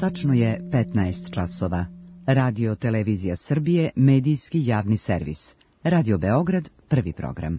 Tačno je 15 časova. Radio Televizija Srbije, medijski javni servis. Radio Beograd, prvi program.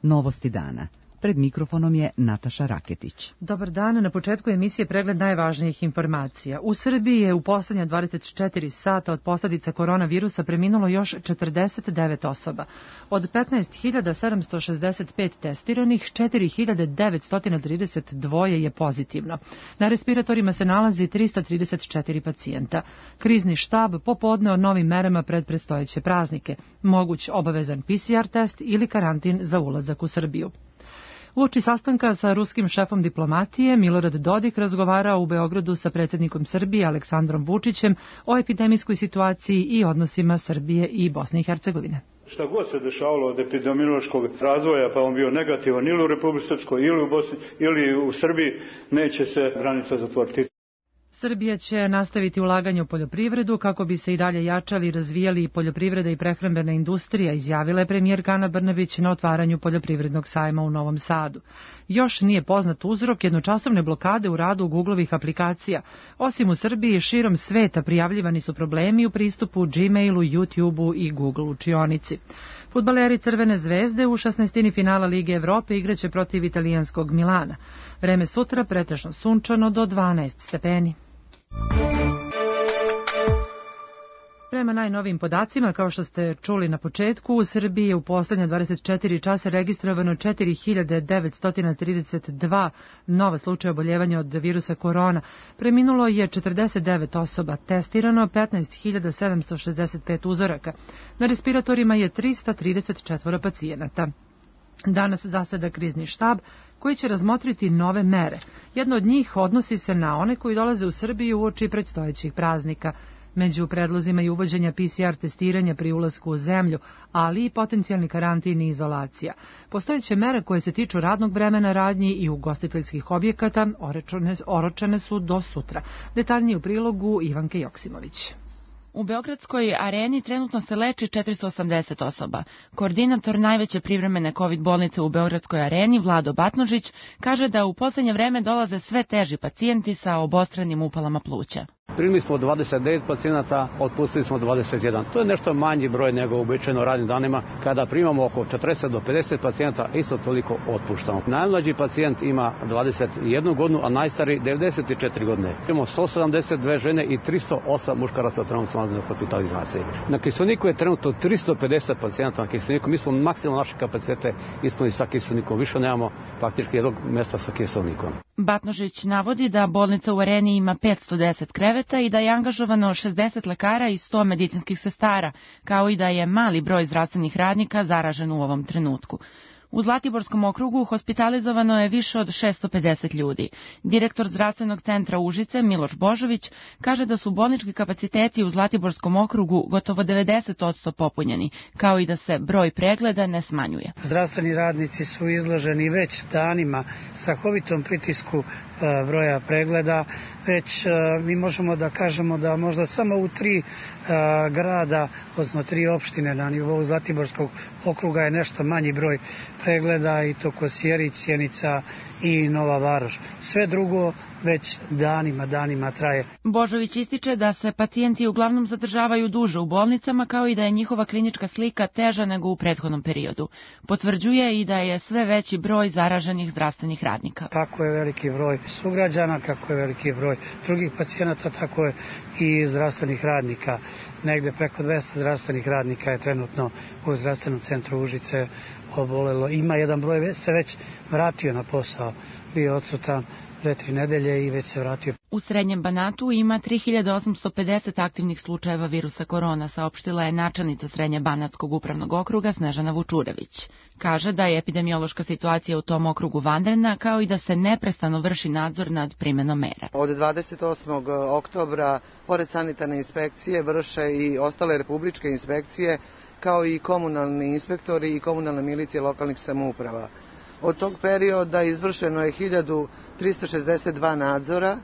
Novosti dana. Pred mikrofonom je Nataša Raketić. Dobar dan, na početku emisije pregled najvažnijih informacija. U Srbiji je u poslednja 24 sata od posljedica koronavirusa preminulo još 49 osoba. Od 15.765 testiranih, 4.932 je pozitivno. Na respiratorima se nalazi 334 pacijenta. Krizni štab popodne o novim merama pred predstojeće praznike. Moguć obavezan PCR test ili karantin za ulazak u Srbiju. Uoči sastanka sa ruskim šefom diplomatije, Milorad Dodik razgovarao u Beogradu sa predsjednikom Srbije Aleksandrom Vučićem o epidemijskoj situaciji i odnosima Srbije i Bosne i Hercegovine. Šta god se dešavalo od epidemiološkog razvoja, pa on bio negativan ili u Republici Srpskoj, ili u Bosni, ili u Srbiji, neće se granica zatvoriti. Srbija će nastaviti ulaganje u poljoprivredu kako bi se i dalje jačali i razvijali poljoprivreda i prehrambena industrija, izjavila je premijerka Ana Brnabić na otvaranju poljoprivrednog sajma u Novom Sadu. Još nije poznat uzrok jednočasovne blokade u radu Googlovih aplikacija. Osim u Srbiji, širom sveta prijavljivani su problemi u pristupu Gmailu, YouTubeu i Google učionici. Fudbaleri Crvene zvezde u 16. finala Lige Evrope igraće protiv italijanskog Milana. Vreme sutra pretežno sunčano do 12 stepeni. Prema najnovijim podacima, kao što ste čuli na početku, u Srbiji je u poslednja 24 časa registrovano 4.932 nova slučaja oboljevanja od virusa korona. Preminulo je 49 osoba, testirano 15.765 uzoraka. Na respiratorima je 334 pacijenata. Danas zaseda krizni štab koji će razmotriti nove mere. Jedno od njih odnosi se na one koji dolaze u Srbiju uoči predstojećih praznika. Među predlozima je uvođenja PCR testiranja pri ulasku u zemlju, ali i potencijalni karantin i izolacija. Postojeće mere koje se tiču radnog vremena radnji i ugostiteljskih objekata oročene su do sutra. Detaljnije u prilogu Ivanke Joksimović. U Beogradskoj areni trenutno se leči 480 osoba. Koordinator najveće privremene COVID bolnice u Beogradskoj areni, Vlado Batnožić, kaže da u poslednje vreme dolaze sve teži pacijenti sa obostranim upalama pluća. Primili smo 29 pacijenata, otpustili smo 21. To je nešto manji broj nego uobičajeno radnim danima. Kada primamo oko 40 do 50 pacijenata, isto toliko otpuštamo. Najmlađi pacijent ima 21 godinu, a najstariji 94 godine. Imamo 172 žene i 308 muškaraca trenutno na hospitalizaciji. Na kiselniku je trenutno 350 pacijenata na kiselniku. Mi smo maksimalno naše kapacitete ispunili sa kiselnikom. Više nemamo praktički jednog mjesta sa kiselnikom. Batnožić navodi da bolnica u areni ima 510 kreveta i da je angažovano 60 lekara i 100 medicinskih sestara, kao i da je mali broj zdravstvenih radnika zaražen u ovom trenutku. U Zlatiborskom okrugu hospitalizovano je više od 650 ljudi. Direktor zdravstvenog centra Užice, Miloš Božović, kaže da su bolnički kapaciteti u Zlatiborskom okrugu gotovo 90% popunjeni, kao i da se broj pregleda ne smanjuje. Zdravstveni radnici su izloženi već danima strahovitom pritisku broja pregleda. Već mi možemo da kažemo da možda samo u 3 grada, odnosno 3 opštine na nivou Zlatiborskog okruga je nešto manji broj pregleda, i to Kosjerić, Sjenica i Nova Varoš. Sve drugo već danima traje. Božović ističe da se pacijenti uglavnom zadržavaju duže u bolnicama, kao i da je njihova klinička slika teža nego u prethodnom periodu. Potvrđuje i da je sve veći broj zaraženih zdravstvenih radnika. Kako je veliki broj sugrađana, kako je veliki broj drugih pacijenata, tako je i zdravstvenih radnika. Negde preko 200 zdravstvenih radnika je trenutno u zdravstvenom centru Užice obolelo. Ima jedan broj se već vratio na posao, bio odsutan 2-3 nedelje i već se vratio. U Srednjem Banatu ima 3850 aktivnih slučajeva virusa korona, saopštila je načelnica Srednje-Banatskog upravnog okruga Snežana Vučurević. Kaže da je epidemiološka situacija u tom okrugu vanredna, kao i da se neprestano vrši nadzor nad primenom mera. Od 28. oktobra, pored sanitarne inspekcije, vrše i ostale republičke inspekcije, kao i komunalni inspektori i komunalne milicije lokalnih samouprava. Od tog perioda izvršeno je 1362 nadzora,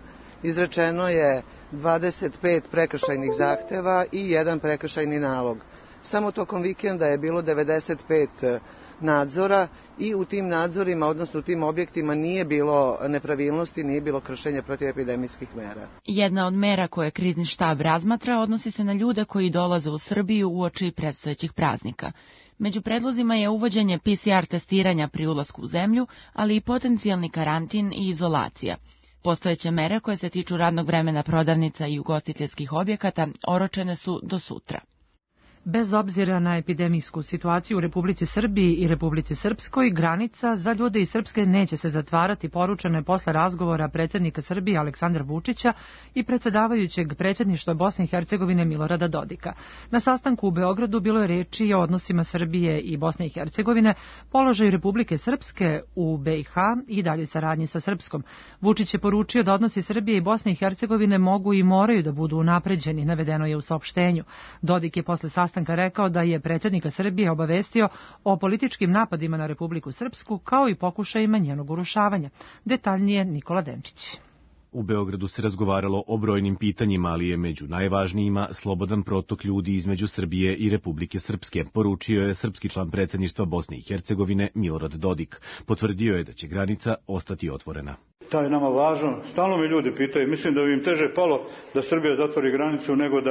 izrečeno je 25 prekršajnih zahteva i 1 prekršajni nalog. Samo tokom vikenda je bilo 95 nadzora i u tim nadzorima, odnosno u tim objektima nije bilo nepravilnosti, nije bilo kršenja protivepidemijskih mera. Jedna od mera koje krizni štab razmatra odnosi se na ljude koji dolaze u Srbiju uoči predstojećih praznika. Među predlozima je uvođenje PCR testiranja pri ulasku u zemlju, ali i potencijalni karantin i izolacija. Postojeće mere koje se tiču radnog vremena prodavnica i ugostiteljskih objekata oročene su do sutra. Bez obzira na epidemijsku situaciju u Republici Srbiji i Republici Srpskoj, granica za ljude iz Srpske neće se zatvarati, poručeno je posle razgovora predsjednika Srbije Aleksandra Vučića i predsjedavajućeg predsjedništva Bosne i Hercegovine Milorada Dodika. Na sastanku u Beogradu bilo je reči i o odnosima Srbije i Bosne i Hercegovine, položaju Republike Srpske u BiH i dalje saradnji sa Srpskom. Vučić je poručio da odnosi Srbije i Bosne i Hercegovine mogu i moraju da budu unapređeni, navedeno je u saopštenju. Dodik je posle sastanka rekao da je predsjednika Srbije obavestio o političkim napadima na Republiku Srpsku kao i pokušajima njenog urušavanja. Detaljnije Nikola Denčić. U Beogradu se razgovaralo o brojnim pitanjima, ali je među najvažnijima slobodan protok ljudi između Srbije i Republike Srpske, poručio je srpski član predsjedništva Bosne i Hercegovine Milorad Dodik. Potvrdio je da će granica ostati otvorena. To je nama važno. Stalno me ljudi pitaju, mislim da bi im teže palo da Srbija zatvori granicu nego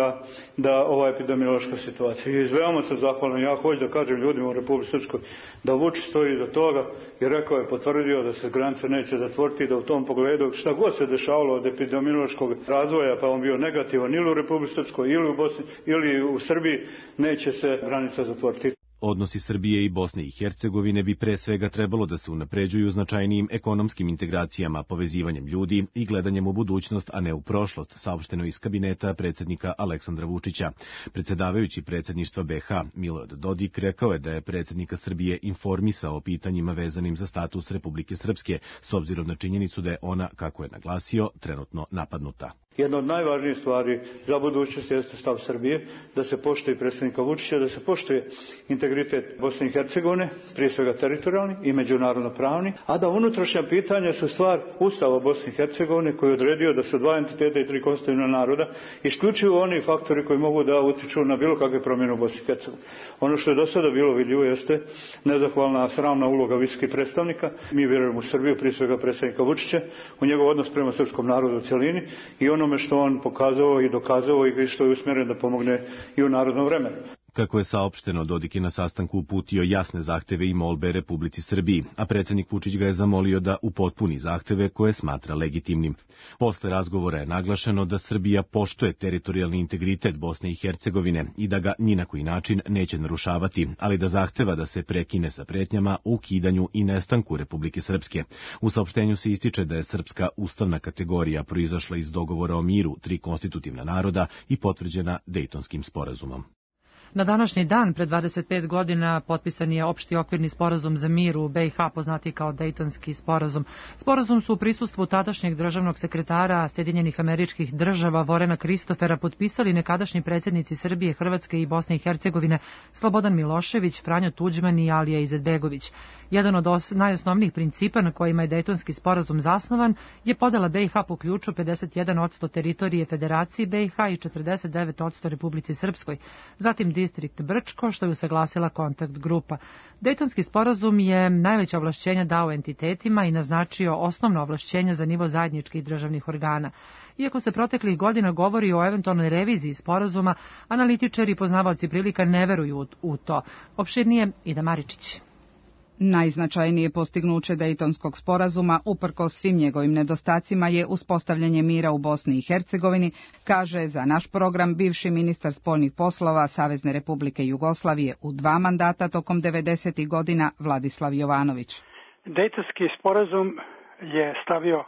da ova epidemiološka situacija. I veoma sam zahvalan, ja hoću da kažem ljudima u Republici Srpskoj da Vučić stoji iza toga i rekao je, potvrdio da se granice neće zatvoriti, da u tom pogledu šta god se dešavalo od epidemiološkog razvoja, pa on bio negativan ili u Republici Srpskoj ili u Bosni ili u Srbiji, neće se granica zatvoriti. Odnosi Srbije i Bosne i Hercegovine bi pre svega trebalo da se unapređuju značajnijim ekonomskim integracijama, povezivanjem ljudi i gledanjem u budućnost, a ne u prošlost, saopšteno iz kabineta predsjednika Aleksandra Vučića. Predsjedavajući predsjedništva BiH Milorad Dodik rekao je da je predsjednika Srbije informisao o pitanjima vezanim za status Republike Srpske, s obzirom na činjenicu da je ona, kako je naglasio, trenutno napadnuta. Jedna od najvažnijih stvari za budućnost jeste stav Srbije, da se poštuje predsjednika Vučića, da se poštuje integritet Bosne i Hercegovine, prije svega teritorijalni i međunarodno pravni, a da unutrašnja pitanja su stvar Ustava Bosne i Hercegovine koji je odredio da su dva entiteta i tri konstitutivna naroda isključivo oni faktori koji mogu da utiču na bilo kakve promjene u Bosni i Hercegovini. Ono što je do sada bilo vidljivo jeste nezahvalna sramna uloga visokih predstavnika. Mi vjerujemo u Srbiju, prije svega predsjednika Vučića, u njegov odnos prema srpskom narodu u cjelini i onome što on pokazao i dokazao i što je usmjeren da pomogne i u narodnom vremenu. Kako je saopšteno, Dodik je na sastanku uputio jasne zahteve i molbe Republici Srbiji, a predsjednik Vučić ga je zamolio da upotpuni zahteve koje smatra legitimnim. Posle razgovora je naglašeno da Srbija poštuje teritorijalni integritet Bosne i Hercegovine i da ga ni na koji način neće narušavati, ali da zahteva da se prekine sa pretnjama o ukidanju i nestanku Republike Srpske. U saopštenju se ističe da je srpska ustavna kategorija proizašla iz dogovora o miru tri konstitutivna naroda i potvrđena Dejtonskim sporazumom. Na današnji dan, pred 25 godina, potpisan je opšti okvirni sporazum za mir u BiH, poznati kao Dejtonski sporazum. Sporazum su u prisustvu tadašnjeg državnog sekretara Sjedinjenih Američkih Država Vorena Kristofera potpisali nekadašnji predsjednici Srbije, Hrvatske i Bosne i Hercegovine Slobodan Milošević, Franjo Tuđman i Alija Izetbegović. Jedan od najosnovnijih principa na kojima je Dejtonski sporazum zasnovan je podela BiH po ključu 51% teritorije Federaciji BiH i 49% Republici Srpskoj. Zatim distrikt Brčko, što je usaglasila kontakt grupa. Dejtonski sporazum je najveća ovlašćenja dao entitetima i naznačio osnovno ovlašćenja za nivo zajedničkih državnih organa. Iako se proteklih godina govori o eventualnoj reviziji sporazuma, analitičari i poznavaoci prilika ne veruju u to. Opširnije Ida Maričić. Najznačajnije postignuće Dejtonskog sporazuma, uprkos svim njegovim nedostacima, je uspostavljanje mira u Bosni i Hercegovini, kaže za naš program bivši ministar spoljnih poslova Savezne Republike Jugoslavije u 2 mandata tokom 90. godina Vladislav Jovanović. Dejtonski sporazum je stavio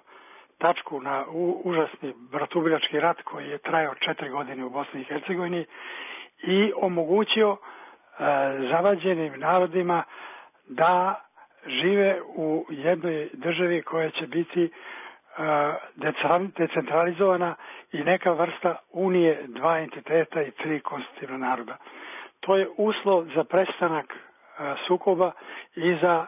tačku na užasni bratoubilački rat koji je trajao 4 godine u Bosni i Hercegovini i omogućio zavađenim narodima da žive u jednoj državi koja će biti decentralizovana i neka vrsta unije 2 entiteta i 3 konstitutivna naroda. To je uslov za prestanak sukoba i za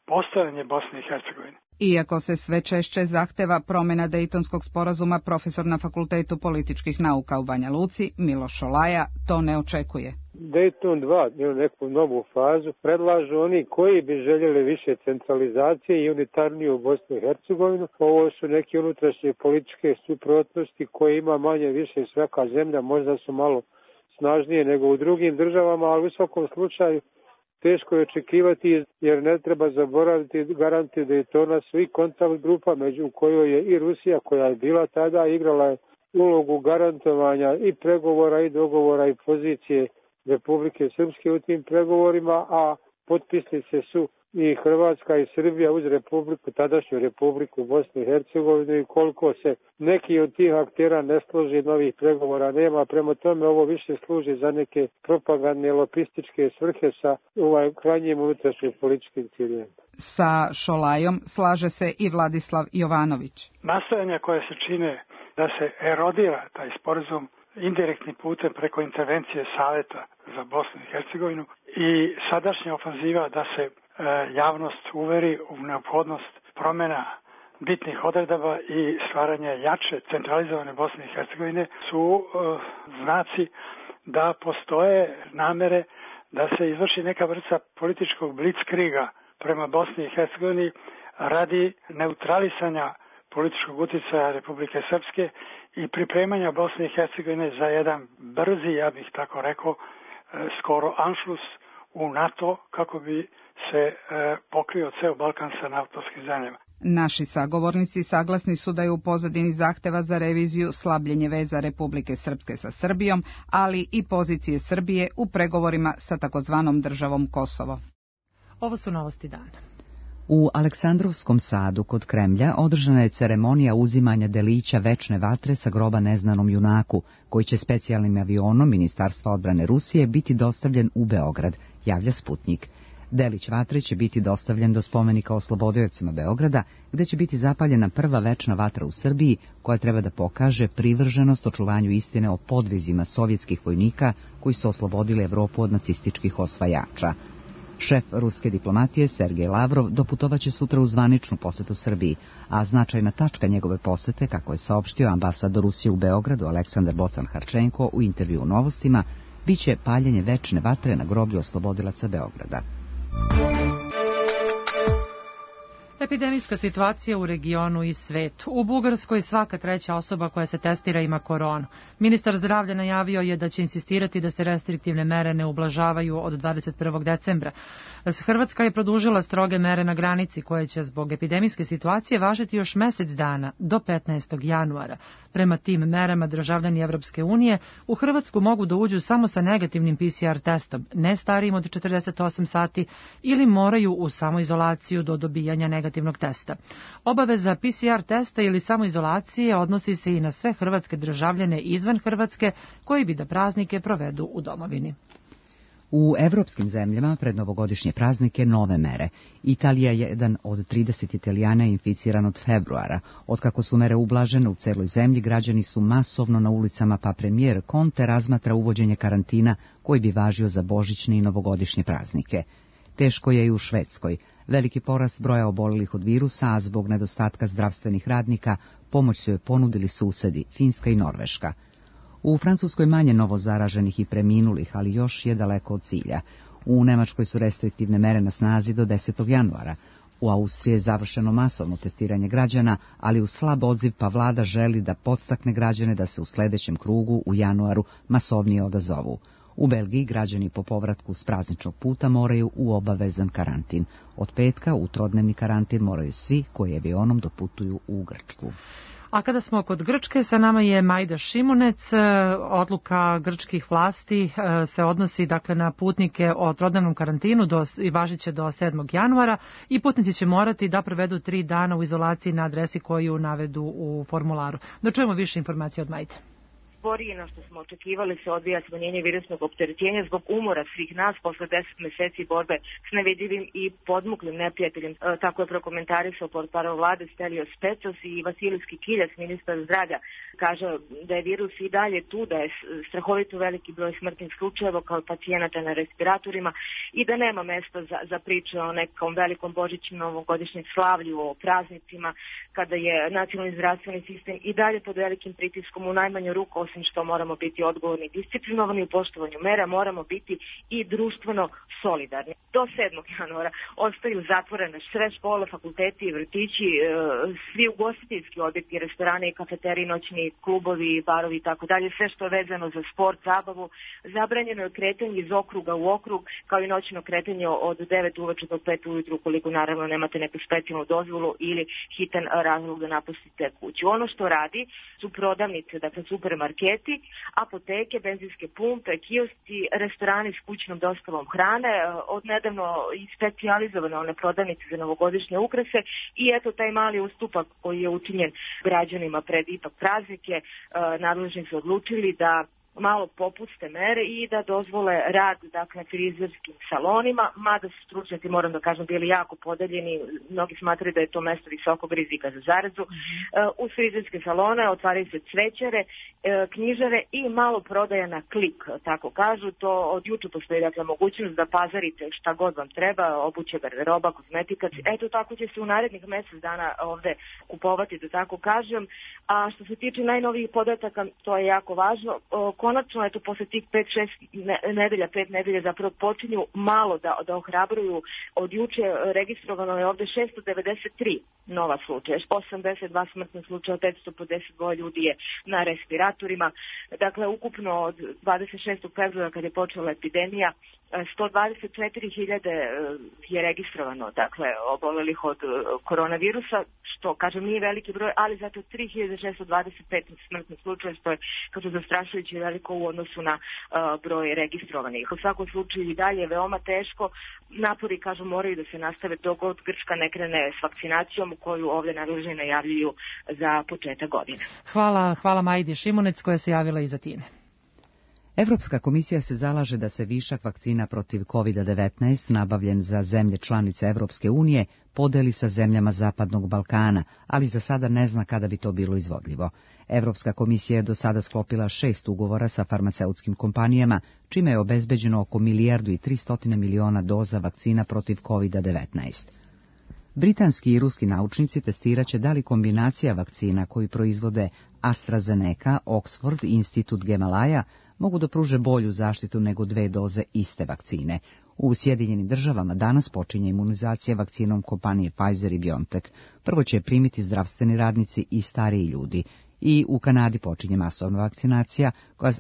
postojanje Bosne i Hercegovine. Iako se sve češće zahteva promjena Dejtonskog sporazuma, profesor na Fakultetu političkih nauka u Banja Luci, Miloš Šolaja, to ne očekuje. Dejton 2 ili neku novu fazu predlažu oni koji bi željeli više centralizacije i unitarniju Bosnu i Hercegovinu. Ovo su neke unutrašnje političke suprotnosti koje ima manje više svaka zemlja, možda su malo snažnije nego u drugim državama, ali u svakom slučaju teško je očekivati jer ne treba zaboraviti garanti Dejtona su i kontakt grupa među kojoj je i Rusija koja je bila tada igrala je ulogu garantovanja i pregovora i dogovora i pozicije Republike Srpske u tim pregovorima, a potpisnice su i Hrvatska i Srbija uz Republiku, tadašnju Republiku Bosnu i Hercegovinu i koliko se neki od tih aktera ne složi, novih pregovora nema. Prema tome ovo više služi za neke propagandne lobističke svrhe sa krajnjim unutrašnjim političkim ciljevima. Sa Šolajom slaže se i Vladislav Jovanović. Nastojanja koje se čine da se erodira taj sporazum indirektnim putem preko intervencije Saveta za Bosnu i Hercegovinu i sadašnja ofanziva da se javnost uveri u neophodnost promjena bitnih odredaba i stvaranja jače centralizovane Bosne i Hercegovine su znaci da postoje namere da se izvrši neka vrsta političkog blitzkriga prema Bosni i Hercegovini radi neutralisanja političkog utjecaja Republike Srpske i pripremanja Bosne i Hercegovine za jedan brzi, ja bih tako rekao, skoro anšlus u NATO kako bi se pokrio ceo Balkan sa naftoskim zemljama. Naši sagovornici saglasni su da je u pozadini zahteva za reviziju slabljenje veza Republike Srpske sa Srbijom, ali i pozicije Srbije u pregovorima sa takozvanom državom Kosovo. Ovo su novosti dana. U Aleksandrovskom sadu kod Kremlja održana je ceremonija uzimanja delića večne vatre sa groba neznanom junaku, koji će specijalnim avionom Ministarstva odbrane Rusije biti dostavljen u Beograd, javlja Sputnik. Delić vatre će biti dostavljen do spomenika oslobodiocima Beograda, gde će biti zapaljena prva večna vatra u Srbiji, koja treba da pokaže privrženost očuvanju istine o podvizima sovjetskih vojnika koji su oslobodili Evropu od nacističkih osvajača. Šef ruske diplomatije Sergej Lavrov doputovaće sutra u zvaničnu posetu Srbiji, a značajna tačka njegove posete, kako je saopštio ambasador Rusije u Beogradu Aleksandar Bocan-Harčenko u intervju u Novostima, biće paljenje večne vatre na groblju oslobodilaca Beograda. Epidemijska situacija u regionu i svetu. U Bugarskoj svaka treća osoba koja se testira ima koronu. Ministar zdravlja najavio je da će insistirati da se restriktivne mere ne ublažavaju od 21. decembra. Hrvatska je produžila stroge mere na granici koje će zbog epidemijske situacije važiti još mesec dana do 15. januara. Prema tim merama državljani Evropske unije u Hrvatsku mogu da uđu samo sa negativnim PCR testom, ne starijim od 48 sati ili moraju u samoizolaciju do dobijanja negativnog testa. Obaveza PCR testa ili samoizolacije odnosi se i na sve hrvatske državljane izvan Hrvatske koji bi da praznike provedu u domovini. U evropskim zemljama pred novogodišnje praznike nove mere. Italija je jedan od 30 Italijana inficiran od februara. Otkako su mere ublažene u celoj zemlji, građani su masovno na ulicama, pa premijer Conte razmatra uvođenje karantina koji bi važio za božićne i novogodišnje praznike. Teško je i u Švedskoj. Veliki porast broja obolelih od virusa, a zbog nedostatka zdravstvenih radnika pomoć su joj ponudili susedi, Finska i Norveška. U Francuskoj manje novo zaraženih i preminulih, ali još je daleko od cilja. U Nemačkoj su restriktivne mere na snazi do 10. januara. U Austriji je završeno masovno testiranje građana, ali uz slab odziv, pa vlada želi da podstakne građane da se u sledećem krugu u januaru masovnije odazovu. U Belgiji građani po povratku s prazničnog puta moraju u obavezan karantin. Od petka u trodnevni karantin moraju svi koji avionom doputuju u Grčku. A kada smo kod Grčke, sa nama je Majda Šimunec. Odluka grčkih vlasti se odnosi dakle na putnike o trodnevnom karantinu i važit će do 7. januara i putnici će morati da provedu 3 dana u izolaciji na adresi koju navedu u formularu. Da čujemo više informacije od Majde. Sporije na što smo očekivali se odvija smanjenje virusnog opterećenja zbog umora svih nas posle 10 meseci borbe s nevidljivim i podmuklim neprijateljem. Tako je prokomentarisao portparol vlade Stelios Petsos i Vasilijski Kiljas, ministar zdravlja. Kaže da je virus i dalje tu, da je strahovito veliki broj smrtnih slučajeva kao pacijenata na respiratorima i da nema mesta za priče o nekom velikom božićnom novogodišnjem slavlju, o praznicima, kada je nacionalni zdravstveni sistem i dalje pod velikim pritiskom. U najmanju ruku, osim što moramo biti odgovorni i disciplinovani u poštovanju mera, moramo biti i društveno solidarni. Do 7. januara ostaju zatvorene sve škole, fakulteti i vrtići, svi ugostiteljski objekti, restorane i kafeterije, noćni klubovi, barovi i tako dalje, sve što je vezano za sport, zabavu. Zabranjeno je kretanje iz okruga u okrug, kao i noćno kretanje od 9 uveče do 5 ujutru, ukoliko naravno nemate neku specijalnu dozvolu ili hitan razlog da napustite kuću. Ono što radi su prodavnice, dakle supermarketi, apoteke, benzinske pumpe, kioski, restorani s kućnom dostavom hrane, od nedavno i specijalizovane one prodavnice za novogodišnje ukrase i eto taj mali ustupak koji je učinjen građanima pred ipak praznike, nadležni su odlučili da malo popuste mere i da dozvole rad, dakle, frizerskim salonima, mada su stručnjaci, moram da kažem, bili jako podeljeni, mnogi smatraju da je to mesto visokog rizika za zarazu. U frizerske salone otvaraju se cvećare, knjižare i malo prodaja na klik, tako kažu. To od juče postoji, dakle, mogućnost da pazarite šta god vam treba, obuće, garderoba, kozmetika. Eto, tako će se u narednih mesec dana ovde kupovati, da tako kažem. A što se tiče najnovijih podataka, to je jako važno. Konačno, eto, posle tih 5 nedelja zapravo počinju malo da ohrabruju. Od juče registrovano je ovde 693 nova slučaja, 82 smrtnih slučaja, 552 ljudi je na respiratorima. Dakle, ukupno od 26. februara kad je počela epidemija, 124.000 je registrovano, dakle, obolelih od koronavirusa, što, kažem, nije veliki broj, ali zato 3.625 smrtnih slučaja, što je, kako zastrašujući, veliko u odnosu na broj registrovanih. U svakom slučaju i dalje je veoma teško. Napori, kažu, moraju da se nastave dok god Grčka ne krene s vakcinacijom koju ovde nadležni najavljuju za početak godine. Hvala Majdi Šimunec koja se javila iz Atine. Evropska komisija se zalaže da se višak vakcina protiv COVID-19 nabavljen za zemlje članice Evropske unije podeli sa zemljama Zapadnog Balkana, ali za sada ne zna kada bi to bilo izvodljivo. Evropska komisija je do sada sklopila 6 ugovora sa farmaceutskim kompanijama, čime je obezbeđeno oko 1.3 milijardi doza vakcina protiv COVID-19. Britanski i ruski naučnici testiraće da li kombinacija vakcina koju proizvode AstraZeneca, Oxford i Institut Gemalaja mogu da pruže bolju zaštitu nego 2 doze iste vakcine. U Sjedinjenim Državama danas počinje imunizacija vakcinom kompanije Pfizer i BioNTech. Prvo će primiti zdravstveni radnici i stariji ljudi. I u Kanadi počinje masovna vakcinacija,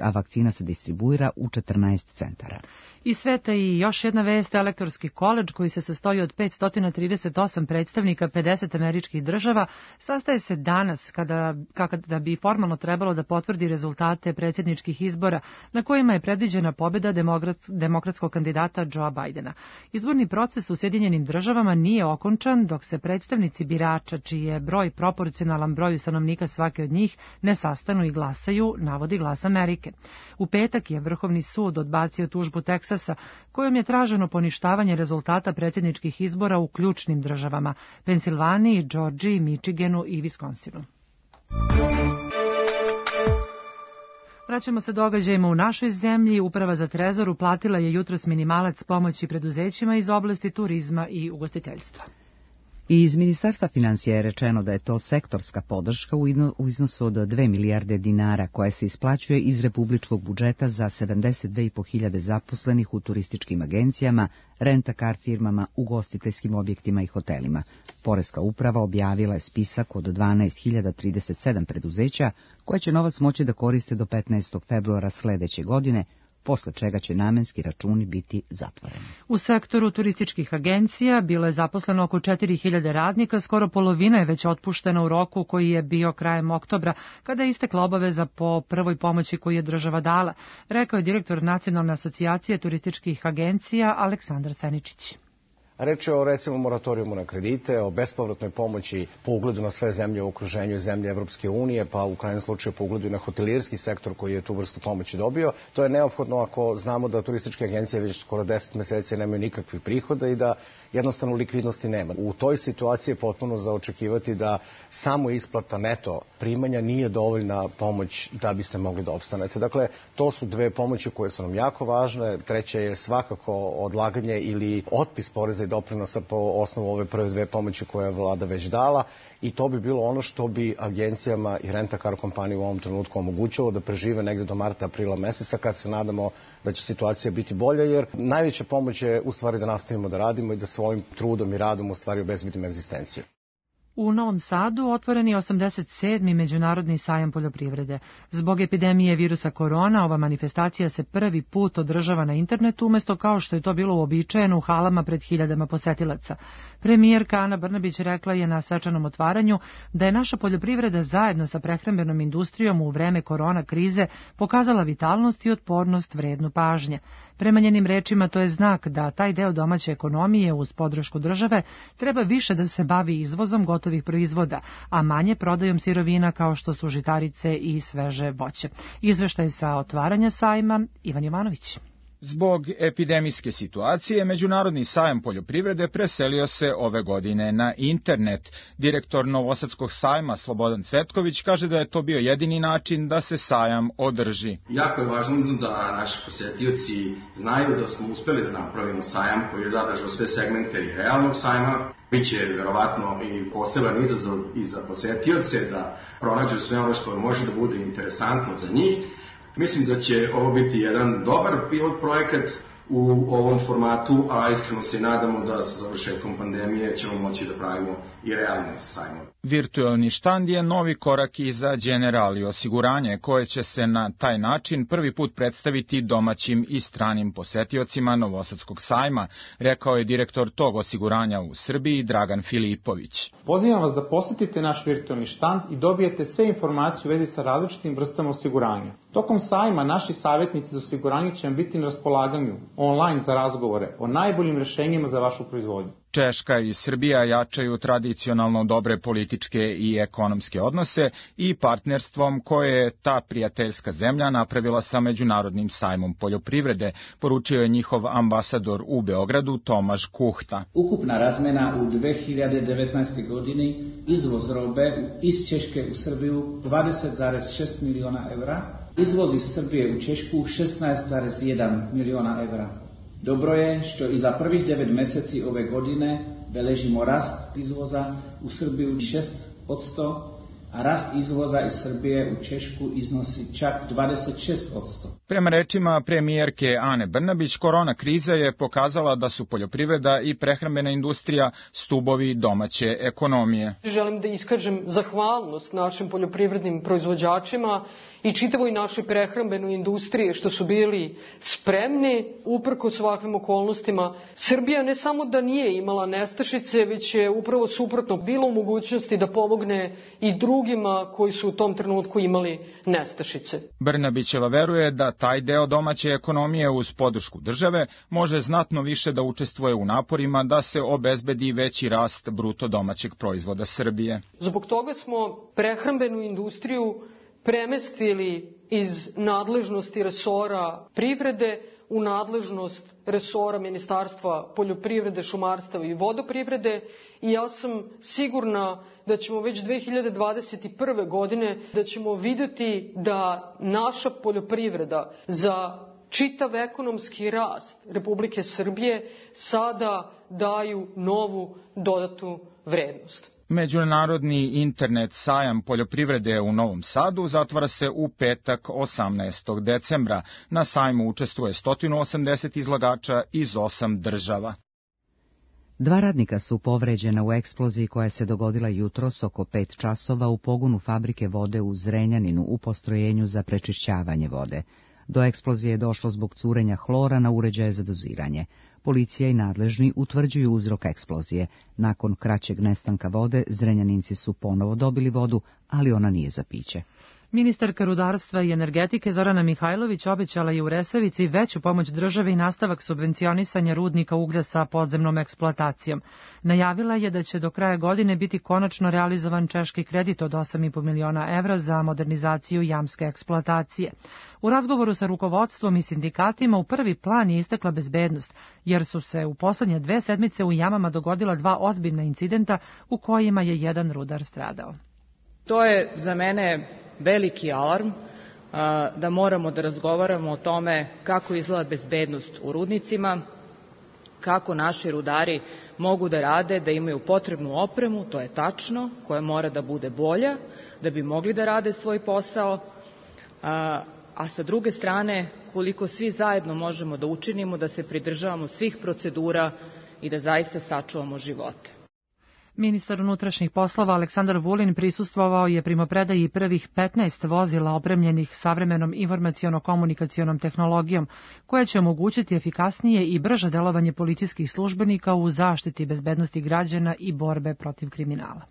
a vakcina se distribuira u 14 centara. Iz sveta i još jedna vest, Elektorski koledž koji se sastoji od 538 predstavnika 50 američkih država, sastaje se danas kada bi formalno trebalo da potvrdi rezultate predsjedničkih izbora na kojima je predviđena pobjeda demokratskog kandidata Joea Bidena. Izborni proces u Sjedinjenim Državama nije okončan dok se predstavnici birača, čiji je broj proporcionalan broju stanovnika svake od njih, ne sastanu i glasaju, navodi Glas Amerike. U petak je Vrhovni sud odbacio tužbu Teksasa, kojom je traženo poništavanje rezultata predsjedničkih izbora u ključnim državama, Pensilvaniji, Džordžiji, Michiganu i Viskonsinu. Vraćamo se događajima u našoj zemlji. Uprava za Trezor uplatila je jutros minimalac pomoći preduzećima iz oblasti turizma i ugostiteljstva. Iz Ministarstva financija je rečeno da je to sektorska podrška u iznosu od 2 milijarde dinara koja se isplaćuje iz republičkog budžeta za 72.500 zaposlenih u turističkim agencijama, rent-a-car firmama, ugostiteljskim objektima i hotelima. Poreska uprava objavila je spisak od 12.037 preduzeća koje će novac moći da koriste do 15. februara sledeće godine, posle čega će namenski računi biti zatvoreni. U sektoru turističkih agencija bilo je zaposleno oko 4.000 radnika, skoro polovina je već otpuštena u roku koji je bio krajem oktobra, kada je istekla obaveza po prvoj pomoći koju je država dala, rekao je direktor Nacionalne asocijacije turističkih agencija Aleksandar Seničić. Reč je o recimo moratorijumu na kredite, o bespovratnoj pomoći po ugledu na sve zemlje u okruženju i zemlje Evropske unije, pa u krajnjem slučaju po ugledu i na hotelirski sektor koji je tu vrstu pomoći dobio. To je neophodno ako znamo da turističke agencije već skoro 10 meseci nemaju nikakvih prihoda i da jednostavno likvidnosti nema. U toj situaciji je potpuno za očekivati da samo isplata neto primanja nije dovoljna pomoć da biste mogli da opstanete. Dakle, to su dve pomoći koje su nam jako važne. Treća je svakako odlaganje ili otpis poreza i doprinosa po osnovu ove prve dve pomoći koje je vlada već dala i to bi bilo ono što bi agencijama i rent-a-car kompaniji u ovom trenutku omogućilo da prežive negde do marta, aprila meseca kad se nadamo da će situacija biti bolja, jer najveća pomoć je u stvari da nastavimo da radimo i da svojim trudom i radom u stvari obezbedimo egzistenciju. U Novom Sadu otvoren je 87. Međunarodni sajam poljoprivrede. Zbog epidemije virusa korona, ova manifestacija se prvi put održava na internetu, umjesto kao što je to bilo uobičajeno u halama pred hiljadama posetilaca. Premijerka Ana Brnabić rekla je na svečanom otvaranju da je naša poljoprivreda zajedno sa prehrambenom industrijom u vreme korona krize pokazala vitalnost i otpornost vrednu pažnje. Prema njenim rečima to je znak da taj deo domaće ekonomije uz podršku države treba više da se bavi izvozom gotovih proizvoda, a manje prodajom sirovina kao što su žitarice i sveže voće. Izveštaj sa otvaranja sajma, Ivan Jovanović. Zbog epidemijske situacije, Međunarodni sajam poljoprivrede preselio se ove godine na internet. Direktor Novosadskog sajma Slobodan Cvetković kaže da je to bio jedini način da se sajam održi. Jako je važno da naši posetioci znaju da smo uspeli da napravimo sajam koji je zadržao sve segmente i realnog sajma. Biće verovatno i poseban izazov i za posetioce da pronađu sve ono što može da bude interesantno za njih. Mislim da će ovo biti jedan dobar pilot projekat u ovom formatu, a iskreno se nadamo da sa završetkom pandemije ćemo moći da pravimo i realne sajmove. Virtualni štand je novi korak i za Generali osiguranje, koje će se na taj način prvi put predstaviti domaćim i stranim posetiocima Novosadskog sajma, rekao je direktor tog osiguranja u Srbiji Dragan Filipović. Pozivam vas da posetite naš virtualni štand i dobijete sve informacije u vezi sa različitim vrstama osiguranja. Tokom sajma naši savjetnici za osiguranje će vam biti na raspolaganju online za razgovore o najboljim rešenjima za vašu proizvodnju. Češka i Srbija jačaju tradicionalno dobre političke i ekonomske odnose i partnerstvom koje je ta prijateljska zemlja napravila sa Međunarodnim sajmom poljoprivrede, poručio je njihov ambasador u Beogradu Tomaš Kuhta. Ukupna razmena u 2019. godini izvoz robe iz Češke u Srbiju 20,6 miliona evra, izvoz iz Srbije u Češku 16,1 miliona evra. Dobro je što i za prvih 9 meseci ove godine beležimo rast izvoza u Srbiju 6%, a rast izvoza iz Srbije u Češku iznosi čak 26%. Prema rečima premijerke Ane Brnabić, korona kriza je pokazala da su poljoprivreda i prehrambena industrija stubovi domaće ekonomije. Želim da iskažem zahvalnost našim poljoprivrednim proizvođačima i čitavoj našoj prehrambenoj industriji što su bili spremni uprkos ovakvim okolnostima. Srbija ne samo da nije imala nestašice, već je upravo suprotno bilo u mogućnosti da pomogne i drugima koji su u tom trenutku imali nestašice. Brnabićeva veruje da taj deo domaće ekonomije uz podršku države može znatno više da učestvuje u naporima da se obezbedi veći rast bruto domaćeg proizvoda Srbije. Zbog toga smo prehrambenu industriju premestili iz nadležnosti resora privrede u nadležnost resora Ministarstva poljoprivrede, šumarstva i vodoprivrede i ja sam sigurna da ćemo već 2021. godine da ćemo videti da naša poljoprivreda za čitav ekonomski rast Republike Srbije sada daju novu dodatnu vrednost. Međunarodni internet sajam poljoprivrede u Novom Sadu zatvara se u petak 18. decembra. Na sajmu učestvuje 180 izlagača iz 8 država. 2 radnika su povređena u eksploziji koja se dogodila jutros oko 5 časova u pogonu fabrike vode u Zrenjaninu u postrojenju za prečišćavanje vode. Do eksplozije je došlo zbog curenja hlora na uređaje za doziranje. Policija i nadležni utvrđuju uzrok eksplozije. Nakon kraćeg nestanka vode, Zrenjaninci su ponovo dobili vodu, ali ona nije za piće. Ministarka rudarstva i energetike Zorana Mihajlović obećala je u Resavici veću pomoć države i nastavak subvencionisanja rudnika uglja sa podzemnom eksploatacijom. Najavila je da će do kraja godine biti konačno realizovan češki kredit od 8,5 miliona evra za modernizaciju jamske eksploatacije. U razgovoru sa rukovodstvom i sindikatima u prvi plan je istekla bezbednost, jer su se u poslednje 2 sedmice u jamama dogodila 2 ozbiljna incidenta u kojima je jedan rudar stradao. To je za mene veliki alarm da moramo da razgovaramo o tome kako izgleda bezbednost u rudnicima, kako naši rudari mogu da rade, da imaju potrebnu opremu, to je tačno, koja mora da bude bolja, da bi mogli da rade svoj posao, a sa druge strane koliko svi zajedno možemo da učinimo da se pridržavamo svih procedura i da zaista sačuvamo živote. Ministar unutrašnjih poslova Aleksandar Vulin prisustvovao je primopredaji prvih 15 vozila opremljenih savremenom informaciono-komunikacionom tehnologijom, koja će omogućiti efikasnije i brže delovanje policijskih službenika u zaštiti bezbednosti građana i borbe protiv kriminala.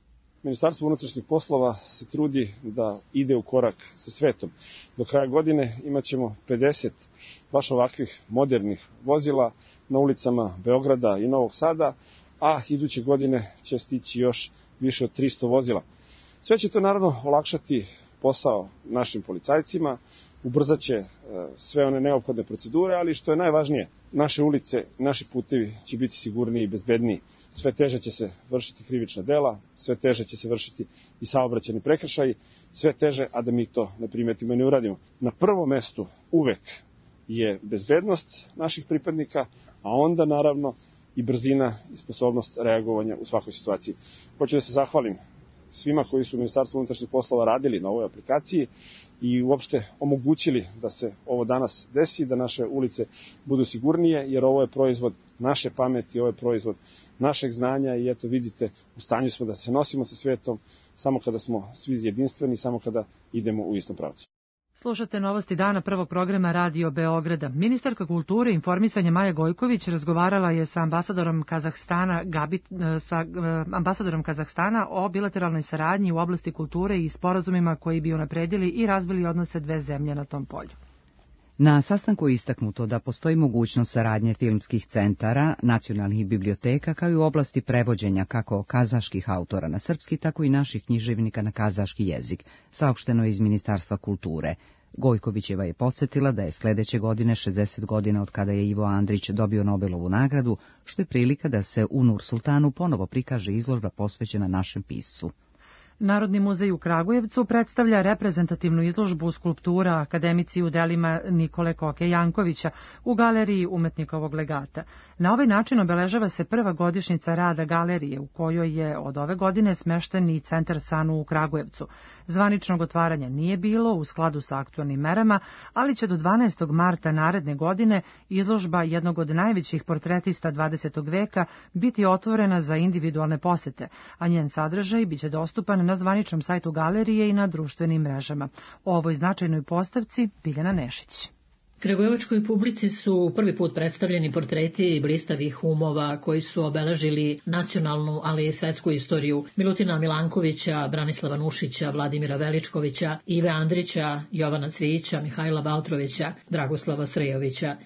Ministarstvo unutrašnjih poslova se trudi da ide u korak sa svetom. Do kraja godine imaćemo 50 baš ovakvih modernih vozila na ulicama Beograda i Novog Sada, a iduće godine će stići još više od 300 vozila. Sve će to naravno olakšati posao našim policajcima, ubrzat će sve one neophodne procedure, ali što je najvažnije, naše ulice, naši putevi će biti sigurniji i bezbedniji. Sve teže će se vršiti krivična dela, sve teže će se vršiti i saobraćajni prekršaji, sve teže, a da mi to ne primetimo i ne uradimo. Na prvom mestu uvek je bezbednost naših pripadnika, a onda naravno i brzina i sposobnost reagovanja u svakoj situaciji. Hoću da se zahvalim svima koji su u Ministarstvu unutrašnjih poslova radili na ovoj aplikaciji i uopšte omogućili da se ovo danas desi, da naše ulice budu sigurnije, jer ovo je proizvod naše pameti, ovo je proizvod našeg znanja i eto vidite, u stanju smo da se nosimo sa svetom samo kada smo svi jedinstveni, samo kada idemo u istom pravcu. Slušate novosti dana prvog programa Radio Beograda. Ministarka kulture i informisanja Maja Gojković razgovarala je sa ambasadorom Kazahstana o bilateralnoj saradnji u oblasti kulture i sporazumima koji bi unapredili i razvili odnose dve zemlje na tom polju. Na sastanku je istaknuto da postoji mogućnost saradnje filmskih centara, nacionalnih biblioteka, kao i u oblasti prevođenja kako kazaških autora na srpski, tako i naših književnika na kazaški jezik, saopšteno je iz Ministarstva kulture. Gojkovićeva je podsjetila da je sledeće godine 60 godina od kada je Ivo Andrić dobio Nobelovu nagradu, što je prilika da se u Nur Sultanu ponovo prikaže izložba posvećena našem piscu. Narodni muzej u Kragujevcu predstavlja reprezentativnu izložbu skulptura akademici u delima Nikole Koke Jankovića u galeriji umetnikovog legata. Na ovaj način obeležava se prva godišnjica rada galerije u kojoj je od ove godine smešten i centar SANU u Kragujevcu. Zvaničnog otvaranja nije bilo u skladu sa aktualnim merama, ali će do 12. marta naredne godine izložba jednog od najvećih portretista 20. veka biti otvorena za individualne posete, a njen sadržaj biće dostupan na zvaničnom sajtu galerije i na društvenim mrežama. O ovoj značajnoj postavci Biljana Nešić. Kragujevačkoj publici su prvi put predstavljeni portreti blistavih umova koji su obeležili nacionalnu, ali i svetsku istoriju Milutina Milankovića, Branislava Nušića, Vladimira Veličkovića, Ive Andrića, Jovana Cvijića, Mihajla Valtrovića, Dragoslava Srejovića.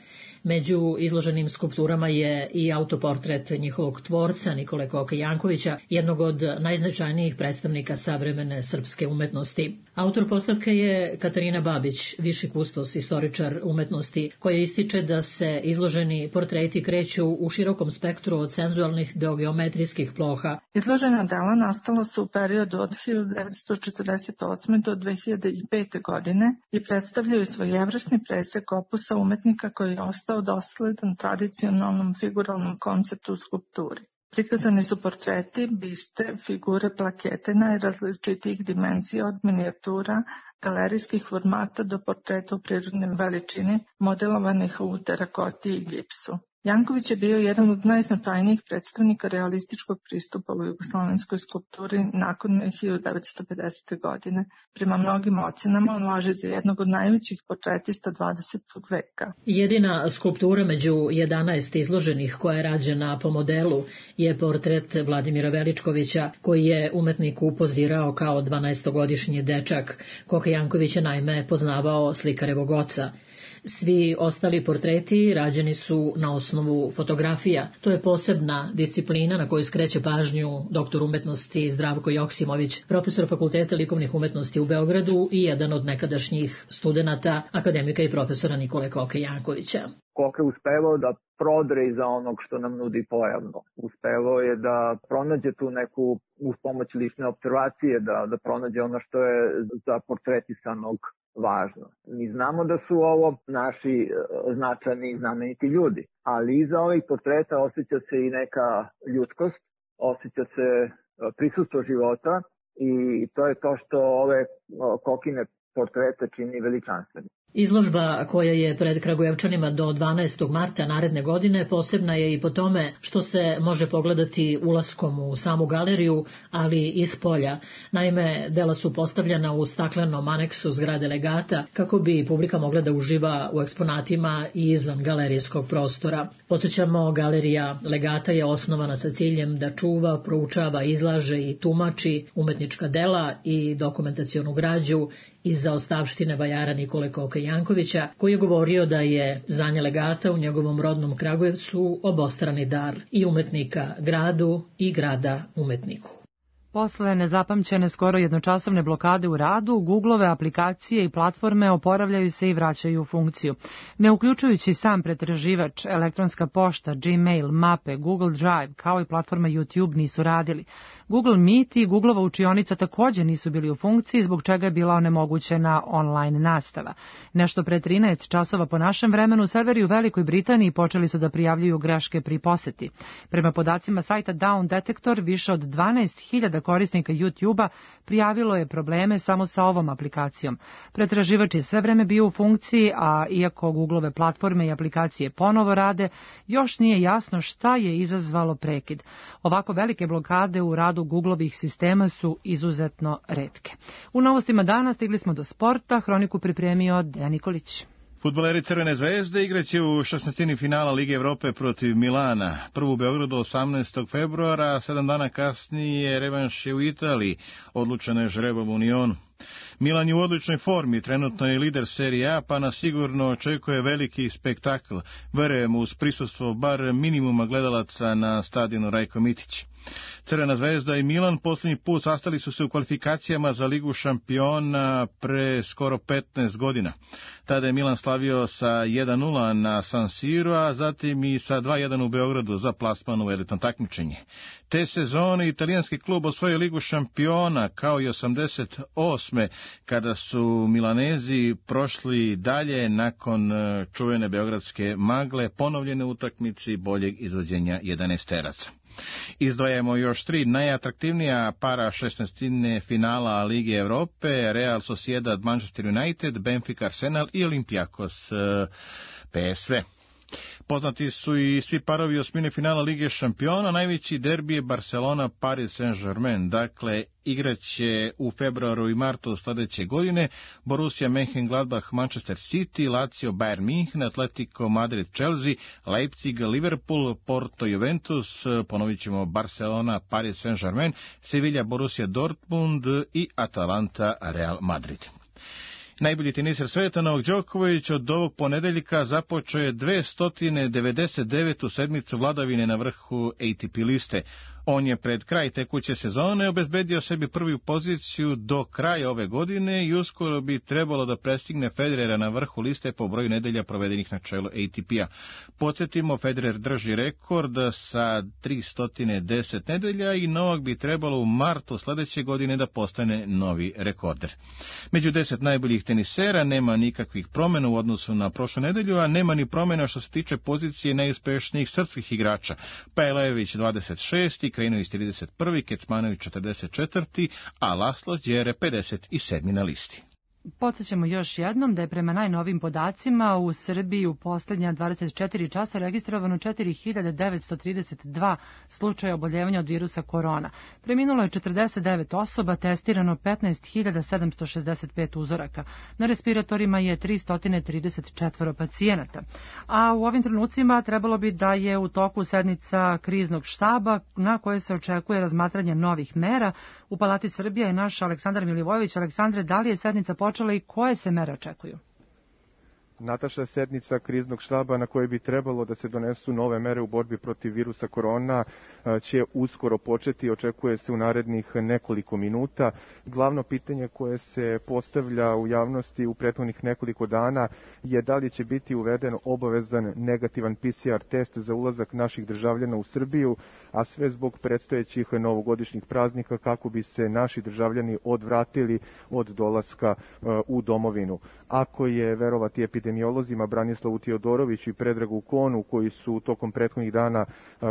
Među izloženim skulpturama je i autoportret njihovog tvorca Nikole Koke Jankovića, jednog od najznačajnijih predstavnika savremene srpske umetnosti. Autor postavke je Katarina Babić, viši kustos istoričar umetnosti, koja ističe da se izloženi portreti kreću u širokom spektru od senzualnih do geometrijskih ploha. Izložena dela nastala su u periodu od 1948. do 2005. godine i predstavljaju svojevrsni presek opusa umetnika koji je ostao dosledan tradicionalnom figuralnom konceptu u skulpturi. Prikazani su portreti, biste, figure, plakete najrazličitijih dimenzija od minijatura, galerijskih formata do portreta u prirodnoj veličini, modelovanih u terakoti i gipsu. Janković je bio jedan od najznačajnijih predstavnika realističkog pristupa u jugoslovenskoj skulpturi nakon 1950. godine. Prema mnogim ocenama on važi za jednog od najvećih portretista 20. veka. Jedina skulptura među 11 izloženih koja je rađena po modelu je portret Vladimira Veličkovića, koji je umetnik upozirao kao 12-godišnji dečak. Koka Janković je naime poznavao slikarevog oca. Svi ostali portreti rađeni su na osnovu fotografija. To je posebna disciplina na koju skreće pažnju doktor umetnosti Zdravko Joksimović, profesor Fakulteta likovnih umetnosti u Beogradu i jedan od nekadašnjih studenata, akademika i profesora Nikole Koke Jankovića. Koke uspevao da prodre iza onog što nam nudi pojavno. Uspevao je da pronađe tu neku, uz pomoć lične observacije, da pronađe ono što je za portretisanog važno. Mi znamo da su ovo naši značajni i znameniti ljudi, ali iza ovih portreta osjeća se i neka ljudskost, osjeća se prisustvo života i to je to što ove Kokine portrete čini veličanstveni. Izložba koja je pred Kragujevčanima do 12. marta naredne godine posebna je i po tome što se može pogledati ulaskom u samu galeriju, ali i s polja. Naime, dela su postavljena u staklenom aneksu zgrade Legata kako bi publika mogla da uživa u eksponatima i izvan galerijskog prostora. Podsjećamo, galerija Legata je osnovana sa ciljem da čuva, proučava, izlaže i tumači umetnička dela i dokumentacionu građu iz zaostavštine vajara Nikole Koke Jankovića, koji je govorio da je zdanje Legata u njegovom rodnom Kragujevcu obostrani dar i umetnika gradu i grada umetniku. Posle nezapamćene skoro jednočasovne blokade u radu, Googleove aplikacije i platforme oporavljaju se i vraćaju u funkciju. Ne uključujući sam pretraživač, elektronska pošta, Gmail, mape, Google Drive, kao i platforma YouTube nisu radili. Google Meet i Googleova učionica također nisu bili u funkciji, zbog čega je bila onemogućena online nastava. Nešto pre 13 časova po našem vremenu, serveri u Velikoj Britaniji počeli su da prijavljuju greške pri poseti. Prema podacima sajta Down Detector, više od 12.000 korisnika YouTube-a prijavilo je probleme samo sa ovom aplikacijom. Pretraživač je sve vreme bio u funkciji, a iako Googleove platforme i aplikacije ponovo rade, još nije jasno šta je izazvalo prekid. Ovako velike blokade u radu Googleovih sistema su izuzetno retke. U novostima dana stigli smo do sporta, hroniku pripremio Dejan Nikolić. Fudbaleri Crvene zvezde igraće u 16. finala Lige Evrope protiv Milana. Prvu u Beogradu 18. februara, 7 dana kasnije revanš je u Italiji, odlučeno je žrebom u Unionu. Milan je u odličnoj formi, trenutno je lider Serije A, pa nas sigurno očekuje veliki spektakl. Verujemo uz prisustvo bar minimuma gledalaca na stadionu Rajko Mitić. Crvena zvezda i Milan posljednji put sastali su se u kvalifikacijama za Ligu šampiona pre skoro 15 godina. Tada je Milan slavio sa 1-0 na San Siro, a zatim i sa 2-1 u Beogradu za plasman u elitno takmičenje. Te sezone italijanski klub osvojio Ligu šampiona, kao i 88. kada su Milanezi prošli dalje nakon čuvene beogradske magle, ponovljene utakmici boljeg izvođenja 11-teraca. Izdvajamo još 3 najatraktivnija para 16. finala Lige Evrope: Real Sociedad Manchester United, Benfica Arsenal i Olympiakos PSV. Poznati su i svi parovi osmine finala Lige šampiona, najveći derbi je Barcelona Paris Saint-Germain, dakle igraće u februaru i martu sljedeće godine Borussia Mönchengladbach Manchester City, Lazio Bayern München, Atletico Madrid Chelsea, Leipzig Liverpool, Porto Juventus, ponovit ćemo Barcelona Paris Saint-Germain, Sevilla Borussia Dortmund i Atalanta Real Madrid. Najbolji teniser sveta Novak Đoković od ovog ponedeljka započeo je 299. sedmicu vladavine na vrhu ATP liste. On je pred kraj tekuće sezone obezbedio sebi prvu poziciju do kraja ove godine i uskoro bi trebalo da prestigne Federera na vrhu liste po broju nedelja provedenih na čelu ATP-a. Podsjetimo, Federer drži rekord sa 310 nedelja i Novak bi trebalo u martu sljedeće godine da postane novi rekorder. Među 10 najboljih tenisera nema nikakvih promjena u odnosu na prošlu nedelju, a nema ni promjena što se tiče pozicije najuspešnijih srpskih igrača. Pajlejević 26. Krajinović 31. Kecmanović 44. a Laslo Đere 57. na listi. Podsjećamo još jednom da je prema najnovim podacima u Srbiji u posljednja 24 časa registrovano 4932 slučaja oboljevanja od virusa korona. Preminulo je 49 osoba, testirano 15.765 uzoraka. Na respiratorima je 334 pacijenata. A u ovim trenucima trebalo bi da je u toku sednica kriznog štaba na kojoj se očekuje razmatranje novih mera. U Palati Srbije je naš Aleksandar Milivojević. Aleksandre, da li je sednica počela i koje se mere očekuju? Nataša, sednica kriznog štaba na kojoj bi trebalo da se donesu nove mere u borbi protiv virusa korona će uskoro početi, očekuje se u narednih nekoliko minuta. Glavno pitanje koje se postavlja u javnosti u prethodnih nekoliko dana je da li će biti uveden obavezan negativan PCR test za ulazak naših državljana u Srbiju, a sve zbog predstojećih novogodišnjih praznika kako bi se naši državljani odvratili od dolaska u domovinu. Ako je verovati epidemiolozima Branislavu Tiodoroviću i Predragu Konu, koji su tokom prethodnih dana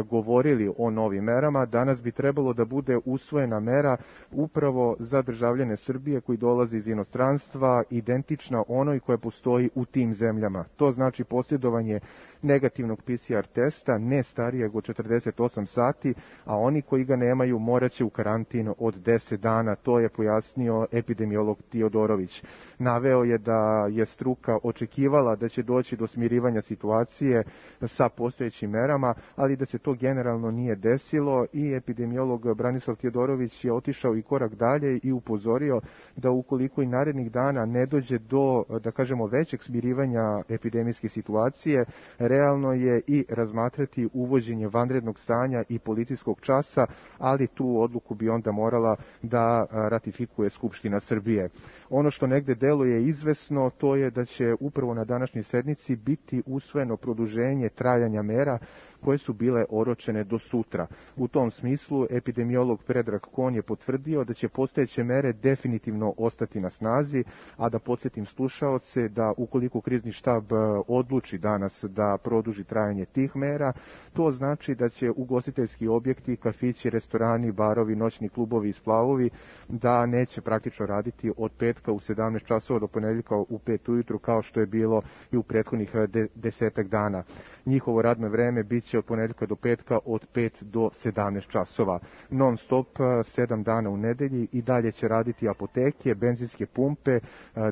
govorili o novim merama, danas bi trebalo da bude usvojena mera upravo za državljane Srbije koji dolaze iz inostranstva, identična onoj koja postoji u tim zemljama. To znači posjedovanje negativnog PCR testa, ne starijeg od 48 sati, a oni koji ga nemaju moraće u karantin od 10 dana, to je pojasnio epidemiolog Tiodorović. Naveo je da je struka očekivala da će doći do smirivanja situacije sa postojećim merama, ali da se to generalno nije desilo i epidemiolog Branislav Tiodorović je otišao i korak dalje i upozorio da ukoliko i narednih dana ne dođe do, da kažemo, većeg smirivanja epidemijske situacije, realno je i razmatrati uvođenje vanrednog stanja i policijskog časa, ali tu odluku bi onda morala da ratifikuje Skupština Srbije. Ono što negde deluje izvesno, to je da će upravo na današnjoj sednici biti usvojeno produženje trajanja mera koje su bile oročene do sutra. U tom smislu epidemiolog Predrag Kon je potvrdio da će postojeće mere definitivno ostati na snazi, a da podsjetim slušaoce da ukoliko krizni štab odluči danas da produži trajanje tih mera, to znači da će ugostiteljski objekti, kafići, restorani, barovi, noćni klubovi i splavovi da neće praktično raditi od petka u 17 časova do ponedjeljka u 5 ujutru kao što je bilo i u prethodnih 10 dana. Njihovo radno vreme biće od ponedjeljka do petka od 5 do 17 časova. Non stop 7 dana u nedelji i dalje će raditi apoteke, benzinske pumpe,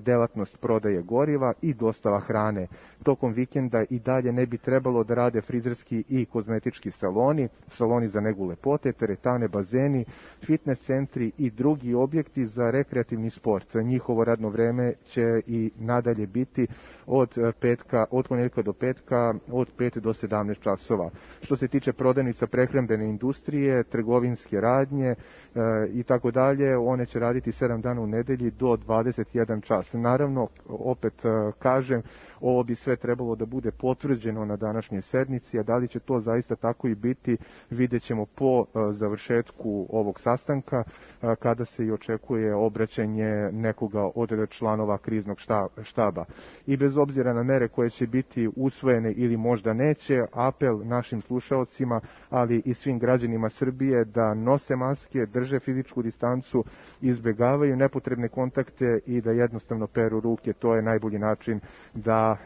delatnost prodaje goriva i dostava hrane. Tokom vikenda i dalje ne bi trebalo da rade frizerski i kozmetički saloni, saloni za negu lepote, teretane, bazeni, fitness centri i drugi objekti za rekreativni sport. Njihovo radno vreme će i nadalje biti od ponedjeljka do petka od 5 do 17 časova. Što se tiče prodavnica prehrambene industrije, trgovinske radnje i tako dalje, one će raditi 7 dana u nedelji do 21 čas. Naravno, opet kažem, ovo bi sve trebalo da bude potvrđeno na današnjoj sednici, a da li će to zaista tako i biti, vidjet ćemo po završetku ovog sastanka, kada se i očekuje obraćanje nekoga od članova kriznog štaba. I bez obzira na mere koje će biti usvojene ili možda neće, apel našim slušaocima, ali i svim građanima Srbije da nose maske, drže fizičku distancu, izbjegavaju nepotrebne kontakte i da jednostavno peru ruke. To je najbolji način da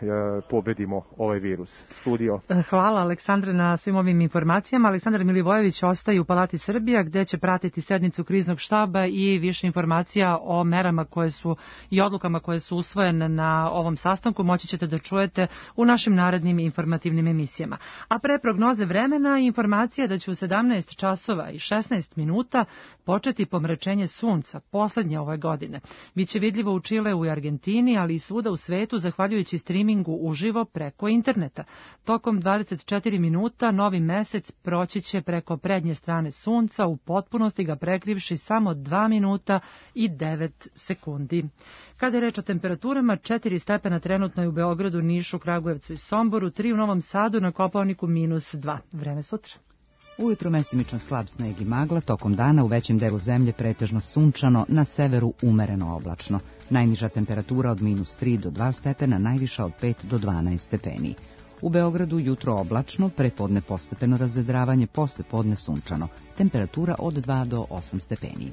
pobedimo ovaj virus. Studio. Hvala Aleksandre na svim ovim informacijama. Aleksandar Milivojević ostaje u Palati Srbija gdje će pratiti sednicu kriznog štaba i više informacija o merama koje su i odlukama koje su usvojene na ovom sastanku moći ćete da čujete u našim narednim informativnim emisijama. A pre prognoze vremena informacija da će u 17 časova i 16 minuta početi pomračenje sunca, poslednje ove godine. Biće vidljivo u Čileu i Argentini, ali i svuda u svetu zahvaljujući streamingu uživo preko interneta. Tokom 24 minuta novi mesec proći će preko prednje strane sunca, u potpunosti ga prekrivši samo 2 minuta i 9 sekundi. Kada je reč o temperaturama, 4 stepena trenutno je u Beogradu, Nišu, Kragujevcu i Somboru, 3 u Novom Sadu, na Kopaoniku -2. Vreme sutra. Ujutro mestimično slab sneg i magla, tokom dana u većem delu zemlje pretežno sunčano, na severu umereno oblačno. Najniža temperatura od -3 do 2 stepena, najviša od 5 do 12 stepeni. U Beogradu jutro oblačno, prepodne postepeno razvedravanje, posle podne sunčano. Temperatura od 2 do 8 stepeni.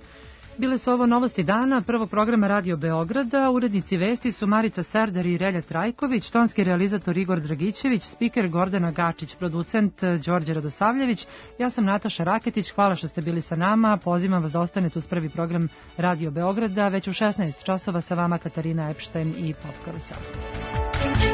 Bile su ovo novosti dana prvog programa Radio Beograda. Urednici vesti su Marica Serdar i Relja Trajković, tonski realizator Igor Dragićević, spiker Gordana Gačić, producent Đorđe Radosavljević. Ja sam Nataša Raketić. Hvala što ste bili sa nama. Pozivam vas da ostanete uz prvi program Radio Beograda. Već u 16 časova sa vama Katarina Epštajn i Popka Veselko.